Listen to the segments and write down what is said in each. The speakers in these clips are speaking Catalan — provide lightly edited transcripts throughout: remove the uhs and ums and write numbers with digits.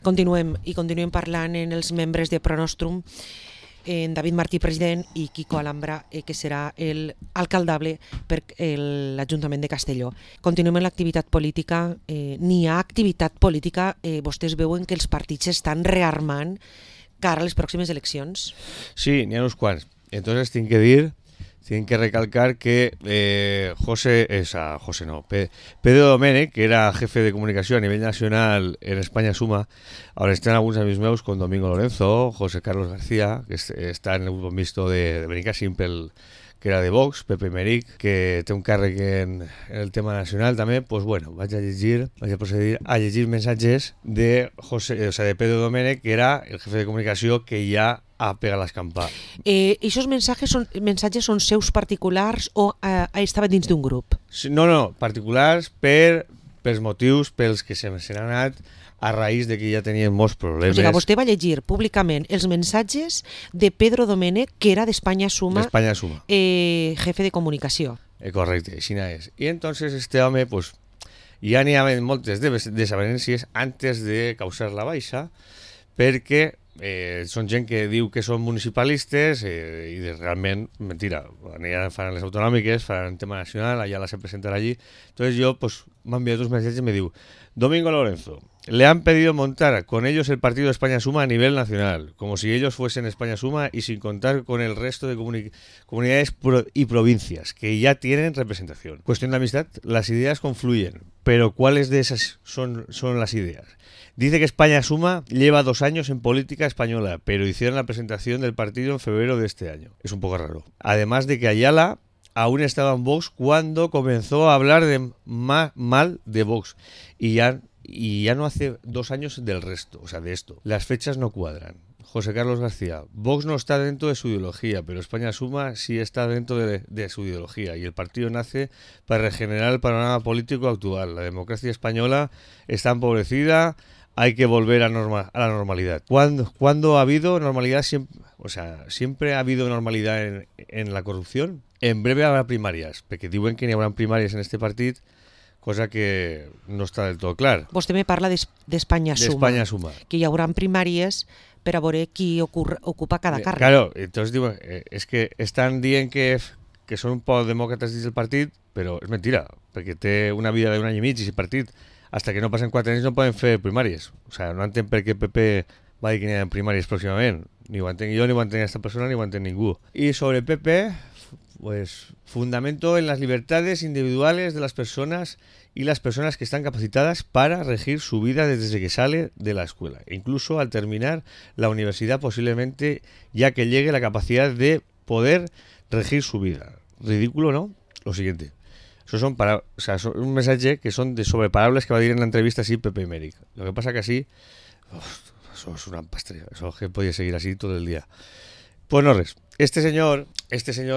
Continuem parlant en els membres de Pronostrum, en David Martí, president, i Quico Alhambra, que serà l'alcaldable per l'Ajuntament de Castelló. Continuem en l'activitat política. N'hi ha activitat política, vostès veuen que els partits s'estan rearmant cara a les pròximes eleccions? Sí, n'hi ha uns quants. Entonces tinc que recalcar que Pedro Domènech, que era jefe de comunicación a nivel nacional en España Suma, ahora están algunos amigos meus con Domingo Lorenzo, José Carlos García, que está en el grupo mixto de Benica Simple, que era de Vox, Pepe Meric, que té un càrrec en el tema nacional també. Pues bueno, vaig a procedir a llegir mensatges de Pedro Domènech, que era el jefe de comunicació que ja ha pegat l'escampar. Aquests mensatges són seus particulars o estaven dins d'un grup? No, particulars pels motius pels que se n'han anat a raïs de que ja tenien molts problemes. O sigui, vostè va llegir públicament els mensatges de Pedro Domènech, que era d'Espanya Suma, jefe de comunicació. Correcte, així és. I entonces este home, pues, ja n'hi havia moltes desavenències antes de causar la baixa, perquè són gent que diu que són municipalistes i realment, mentira, ja faran les autonòmiques, faran tema nacional, allà la se presentarà allí. Entonces yo, pues, me han enviado dos mensajes y me diu: Domingo Lorenzo, le han pedido montar con ellos el partido España Suma a nivel nacional, como si ellos fuesen España Suma y sin contar con el resto de comunidades y provincias que ya tienen representación. Cuestión de amistad, las ideas confluyen, pero ¿cuáles de esas son las ideas? Dice que España Suma lleva 2 años en política española, pero hicieron la presentación del partido en febrero de este año. Es un poco raro. Además de que Ayala aún estaba en Vox cuando comenzó a hablar mal de Vox y ya no hace 2 años del resto, o sea, de esto. Las fechas no cuadran. José Carlos García, Vox no está dentro de su ideología, pero España Suma sí está dentro de su ideología y el partido nace para regenerar el panorama político actual. La democracia española está empobrecida, hay que volver a la normalidad. ¿Cuándo ha habido normalidad? Siempre ha habido normalidad en la corrupción. En breve habrá primàries, perquè diuen que n'hi haurà primàries en este partit, cosa que no està del tot clar. Vostè me parla d'Espanya Suma. Que hi haurà primàries per a veure qui ocupa cada càrrec. Claro, entonces diuen, és que estan dient que són un poc demòcrates dins del partit, però és mentira, perquè té una vida d'un any i mig i si partit, hasta que no passen 4 anys no poden fer primàries. O sea, no entenc per què PP va dir que n'hi ha primàries pròximament. Ni ho entenc jo, ni ho entenc aquesta persona, ni ho entenc ningú. I sobre PP, pues fundamento en las libertades individuales de las personas y las personas que están capacitadas para regir su vida desde que sale de la escuela, incluso al terminar la universidad posiblemente, ya que llegue la capacidad de poder regir su vida. Ridículo, ¿no? Lo siguiente. Eso son un mensaje que son de sobreparables que va a decir en la entrevista así Pepe Meric. Lo que pasa que así, eso es una pastilla, eso que podía seguir así todo el día. Pues no res. Este señor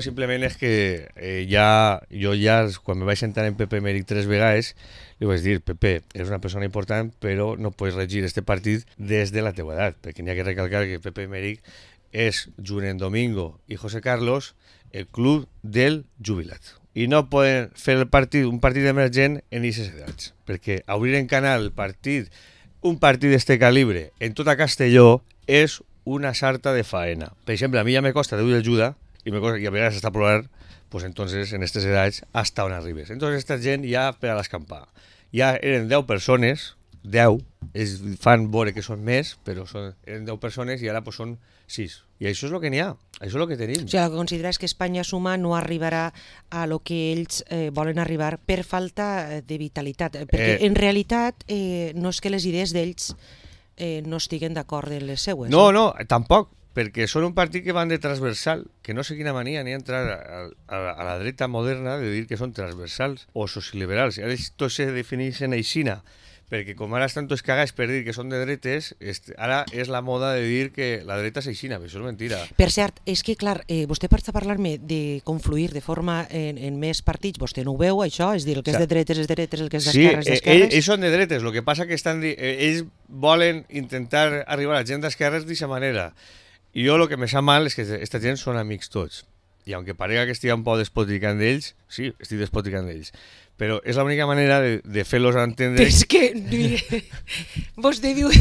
simplement és que jo ja, quan me vaig sentar en Pepe Meric 3 vegades, li vaig dir: Pepe, eres una persona important, però no pots regir este partit des de la teua edat, perquè n'hi ha que recalcar que Pepe Meric és, junt amb Domingo i José Carlos, el club del jubilat. I no poden fer un partit emergent en aquestes edats, perquè obrir en canal un partit d'este calibre en tota Castelló és una sarta de faena. Per exemple, a mi ja me costa Déu i ajuda i a vegades està plorar, pues entonces en aquestes edats hasta on arribes. Entonces esta gent ja per a l'escampar. Ja eren 10 persones, 10, ells fan veure que són més, però eren 10 persones i ara pues són 6. I això és el que n'hi ha, això és el que tenim. O sigui, el que considera és que Espanya Suma no arribarà a lo que ells volen arribar per falta de vitalitat, perquè en realitat no és que les idees d'ells no estiguen d'acord en les seues. No, tampoc, perquè són un partit que van de transversal, que no sé quina mania ni entrar a la dreta moderna de dir que són transversals o socioliberals. Ara tots se defineixen aixina, perquè com ara estan tots cagats per dir que són de dretes, ara és la moda de dir que la dreta és aixina, però això és mentira. Per cert, és que clar, vostè està parlant-me de confluir de forma en més partits, vostè no ho veu, això? És dir, el que és de dretes és de dretes, el que és d'esquerres és d'esquerres? Sí, ells són de dretes, el que passa que ells volen intentar arribar a gent d'esquerres d'aquesta manera. I jo el que me sap mal és que aquesta gent són amics tots. I aunque parega que estigui un poc despoticant d'ells, sí, estic despoticant d'ells, però és l'única manera de fer-los entendre... Però és que, mire, vostè diu,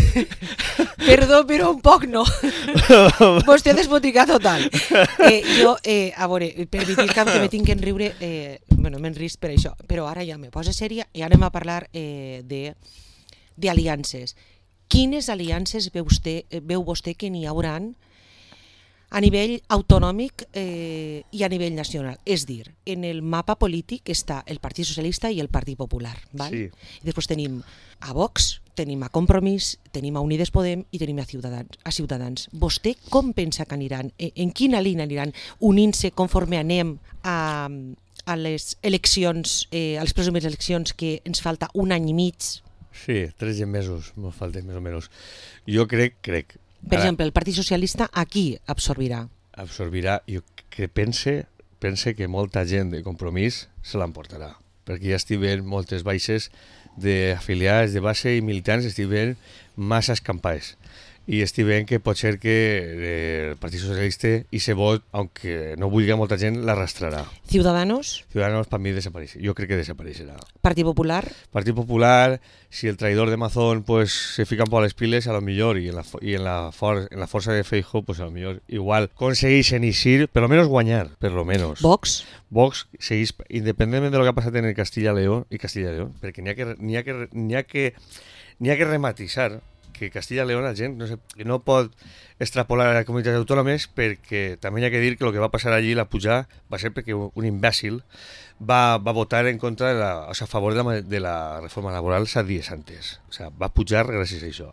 perdó, però un poc no. Vostè desboticat total. Jo, a veure, permetit que me tinc que enriure, bueno, m'enrisc per això, però ara ja me posa sèria i anem a parlar d'aliances. Quines aliances veu vostè que n'hi hauran a nivell autonòmic i a nivell nacional? És dir, en el mapa polític està el Partit Socialista i el Partit Popular. Val? Sí. I després tenim a Vox, tenim a Compromís, tenim a Unides Podem i tenim a Ciutadans. Vostè com pensa que aniran? En quina línia aniran unint-se conforme anem a les eleccions, a les pròximes eleccions, que ens falta un any i mig? Sí, 3 mesos, ens falten més o menys. Jo crec... Per exemple, el Partit Socialista aquí absorbirà. Absorbirà, jo pense que molta gent de Compromís se l'emportarà, perquè ja estic veient moltes baixes d'afiliats de base i militants, estic veient massa escampades. I estic veient que pot ser que el Partit Socialista i se vot, aunque no vulgui molta gent, l'arrastrarà. Ciudadanos? Ciudadanos per mi desapareix. Jo crec que desapareixerà. Partit Popular? Partit Popular, si el traidor de Mazón pues se fica un poc a les piles, a lo millor, i en la força de Feijóo, pues a lo millor igual aconsegueixen eixir, per lo menos guanyar, per lo menos. Vox? Vox segueix, independentment de lo que ha passat en el Castilla-León, perquè n'hi ha que rematisar que Castilla-León la gent no pot extrapolar a les comunitats autònomes, perquè també hi ha que dir que el que va passar allí, la pujar, va ser perquè un imbècil va votar en contra a favor de la reforma laboral 7 dies antes. O sea, va pujar gràcies a això.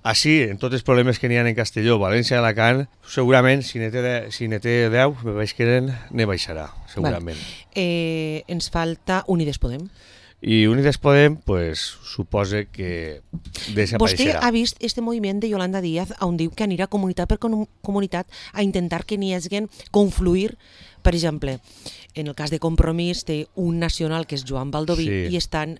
Així, en tots els problemes que n'hi ha en Castelló, València i Alacant, segurament, si n'hi té 10, me veig que ne baixarà, segurament. Ens falta Unides Podem. I Unides Podem, pues, suposa que desapareixerà. Vostè ha vist este moviment de Yolanda Díaz on diu que anirà comunitat per comunitat a intentar que n'hi hagin confluir, per exemple, en el cas de Compromís té un nacional que és Joan Baldoví, sí. I estan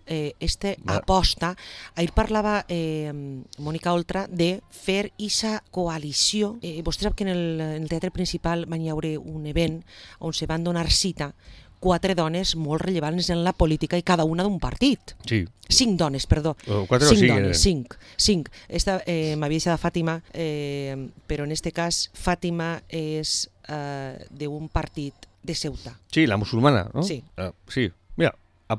aposta, ahir parlava Mònica Oltra de fer aquesta coalició. Vostè sap que en el teatre principal van hi haure un event on se van donar cita 4 dones molt rellevants en la política i cada una d'un partit. Sí. 5 dones, perdó. 4 o 5 dones, 5. M'havia deixat Fàtima, però en este cas Fàtima és d'un partit de Ceuta. Sí, la musulmana, no? Sí. Sí. Mira, a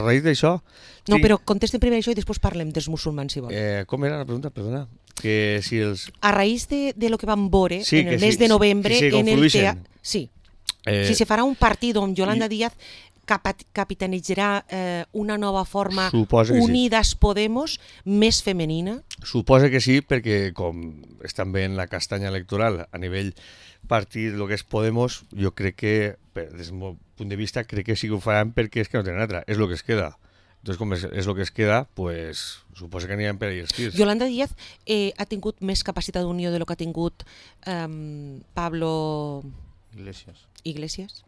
raïs d'això... No, però contesten primer això i després parlem dels musulmans, si vol. Com era la pregunta? Perdona. Que si els... A raïs de lo que vam veure en el mes de novembre en el teatre... Sí. Si se farà un partit on Yolanda Díaz capitanejarà una nova forma Unides Podemos més femenina? Suposa que sí, perquè com estan veient la castanya electoral a nivell partit, el que és Podemos, jo crec que, des del meu punt de vista, crec que sí que ho faran perquè és que no tenen altra, és el que es queda. Entonces, com és el que es queda, pues, suposa que aniran per allà els tirs. Yolanda Díaz ha tingut més capacitat d'unió de lo que ha tingut Pablo... Iglesias?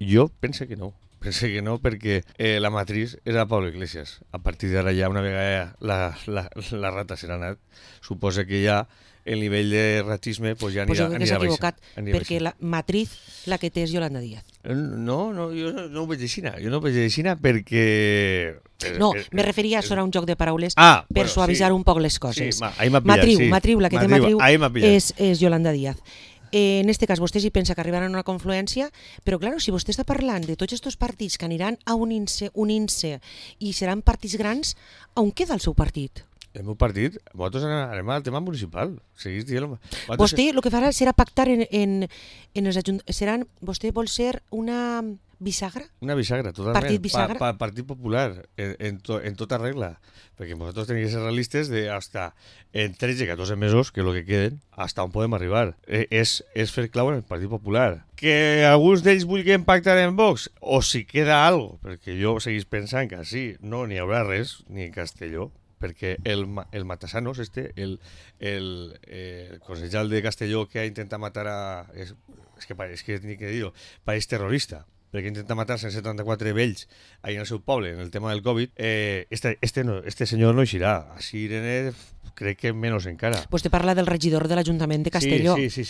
Jo pense que no. Pense que no, perquè la matriz era Pablo Iglesias. A partir d'ara ja, una vegada la rata serà anat, suposa que ja el nivell de ratisme pues ja anirà jo crec que s'ha equivocat, perquè la matriz la que té és Yolanda Díaz. No, jo no ho veig així. Jo no ho veig així perquè... No, me referia a sonar un joc de paraules per suavitzar un poc les coses. Sí, ahí m'ha pillat, Matriu, la que té Matriu és Yolanda Díaz. En este cas, vostè sí pensa que arribaran a una confluència, però, clar, si vostè està parlant de tots aquests partits que aniran a unint-se i seran partits grans, on queda el seu partit? El meu partit? Nosaltres anem al tema municipal. Vostè el que farà serà pactar en els ajuntaments. Vostè vol ser una bisagra? Una bisagra, totalment. Partit bisagra? Partit Popular, en tota regla. Perquè nosaltres tenim que ser realistes de hasta en 13-14 mesos, que és el que queden, hasta on podem arribar. És fer clau en el Partit Popular. Que alguns d'ells vulguin pactar en Vox, o si queda algo, perquè jo seguís pensant que sí, no n'hi haurà res, ni en Castelló, perquè el Matasanos, el consellal de Castelló que ha intentat matar a... És que ni que dir-ho, pareix terrorista, perquè intenta matar 174 vells ahí en el seu poble, en el tema del Covid, este senyor no eixirà. Així Irene crec que menys encara. Vostè parla del regidor de l'Ajuntament de Castelló. Sí.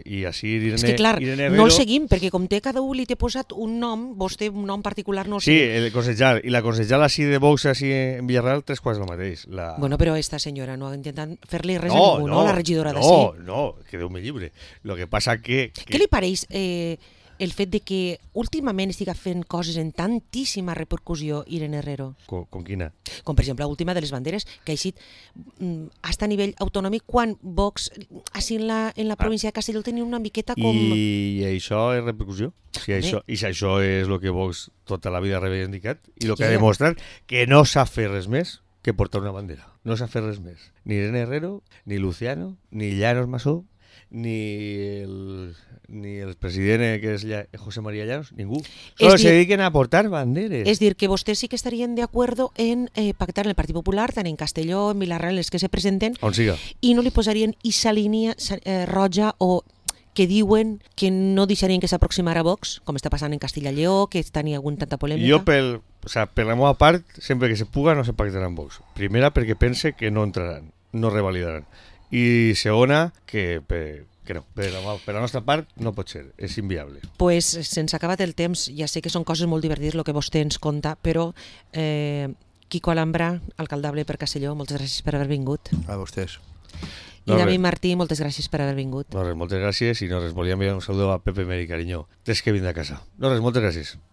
I així Irene, És que clar, Irene no Herrero... el seguim, perquè com té cada un li té posat un nom, vostè un nom particular no el Sí, seguim. el concejal. I la concejal així de Vox així en Villarreal, 3 quarts del mateix. Bueno, però esta senyora no ha intentat fer-li res a ningú, no? La regidora d'ací. No, que Déu me llibre. Lo que passa que... Què li pareix el fet de que últimament estiga fent coses en tantíssima repercussió Irene Herrero? Con quina? Com per exemple l'última de les banderes, que ha eixit hasta a nivell autonòmic quan Vox, així en la província de Castelló, tenia una miqueta com... I això és repercussió? Si això és el que Vox tota la vida ha reivindicat i el que ha demostrat que no sap fer res més que portar una bandera. No sap fer res més. Ni Irene Herrero, ni Luciano, ni Llanos Masó, ni el president que és José María Llanos, ningú. Solo se dediquen a portar banderes. És dir, que vostès sí que estarien de acuerdo en pactar en el Partit Popular, tant en Castelló, en Vilarreal, els que se presenten, on siga, i no li posarien esa línia roja o que diuen que no deixarien que s'aproximara a Vox, com està passant en Castilla i Lleó, que tenia tanta polèmica. Jo, per la meva part, sempre que se puga no se pactarà amb Vox. Primera, perquè pense que no entraran, no revalidaran. I segona, que no, per la nostra part no pot ser, és inviable. Pues se'ns ha acabat el temps, ja sé que són coses molt divertides el que vostè ens conta, però Quico Alhambra, alcaldable per Castelló, moltes gràcies per haver vingut. A vostès. I David Martí, moltes gràcies per haver vingut. No res, moltes gràcies, i no res, volia enviar un saludo a Pepe Meri, cariño, des que vinc de casa. No res, moltes gràcies.